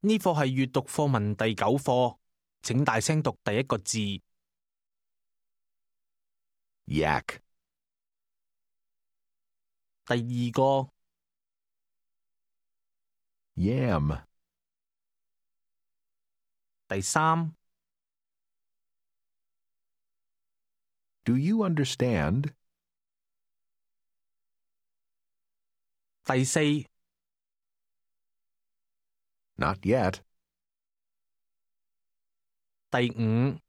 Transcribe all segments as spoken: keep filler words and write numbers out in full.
呢課係閱讀課文第九課，請大聲讀第一個字。Yak, 第二個、 yam, 第三、 do you understand? 第四、 Not yet. 第五。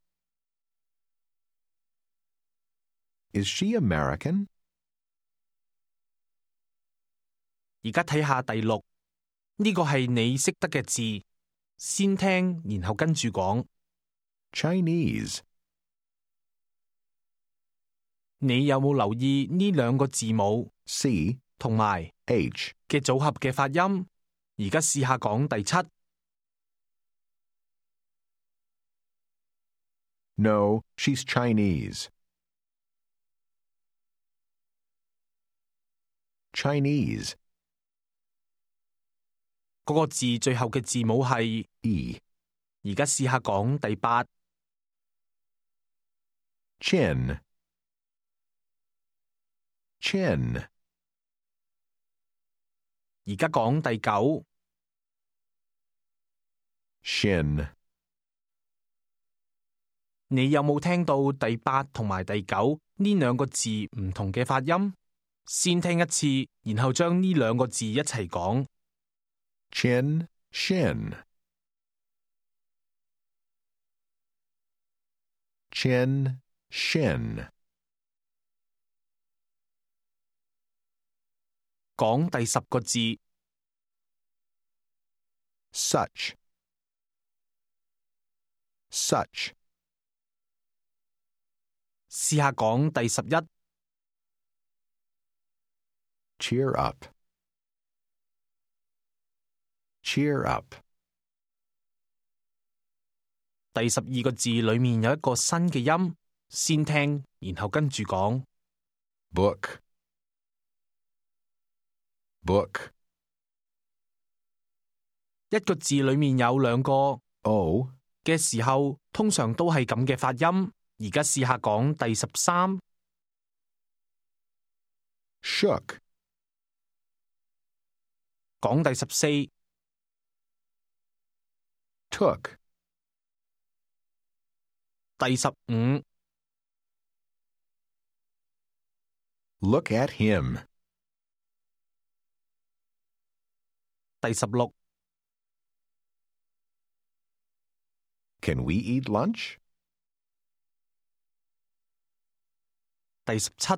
Is she American? 而家睇下第六，呢個係你識得嘅字，先聽然後跟住講。 Chinese, 你有冇留意呢兩個字母 C, 同埋 H. 嘅組合嘅發音？而家試下講第七。 No, she's Chinese. Chinese, 嗰個字最後嘅字母係 E. 而家試下講第八。 Chin, chin, 而家講第九。 shin. 你有冇聽到第八同埋第九呢兩個字唔同嘅發音？先聽一次，然後將呢兩個字一齊講。 Chin, shin. Chin, shin. 講第十個字。 Such, such. 試下講第十一。 Cheer up, cheer up. 第十二個字裏面有一個新嘅音，先聽，然後跟住講。 Book, book. 一個字裏面有兩個 O, 嘅時候，通常都係咁嘅發音。而家試下講第十三。 shook, 講第十四。 took. 第十五。 Look at him. 第十六。 Can we eat lunch? 第十七。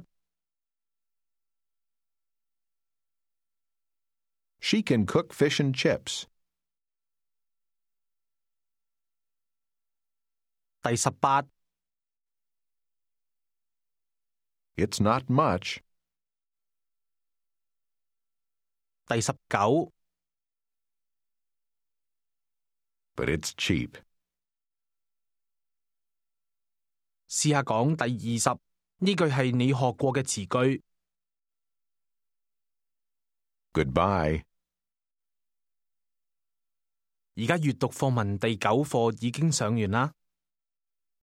She can cook fish and chips. 第十八。 It's not much. 第十九。 But it's cheap. 試下講第二十，呢句係你學過嘅詞句。 Goodbye. 而家閱讀課文第九課已經上完啦。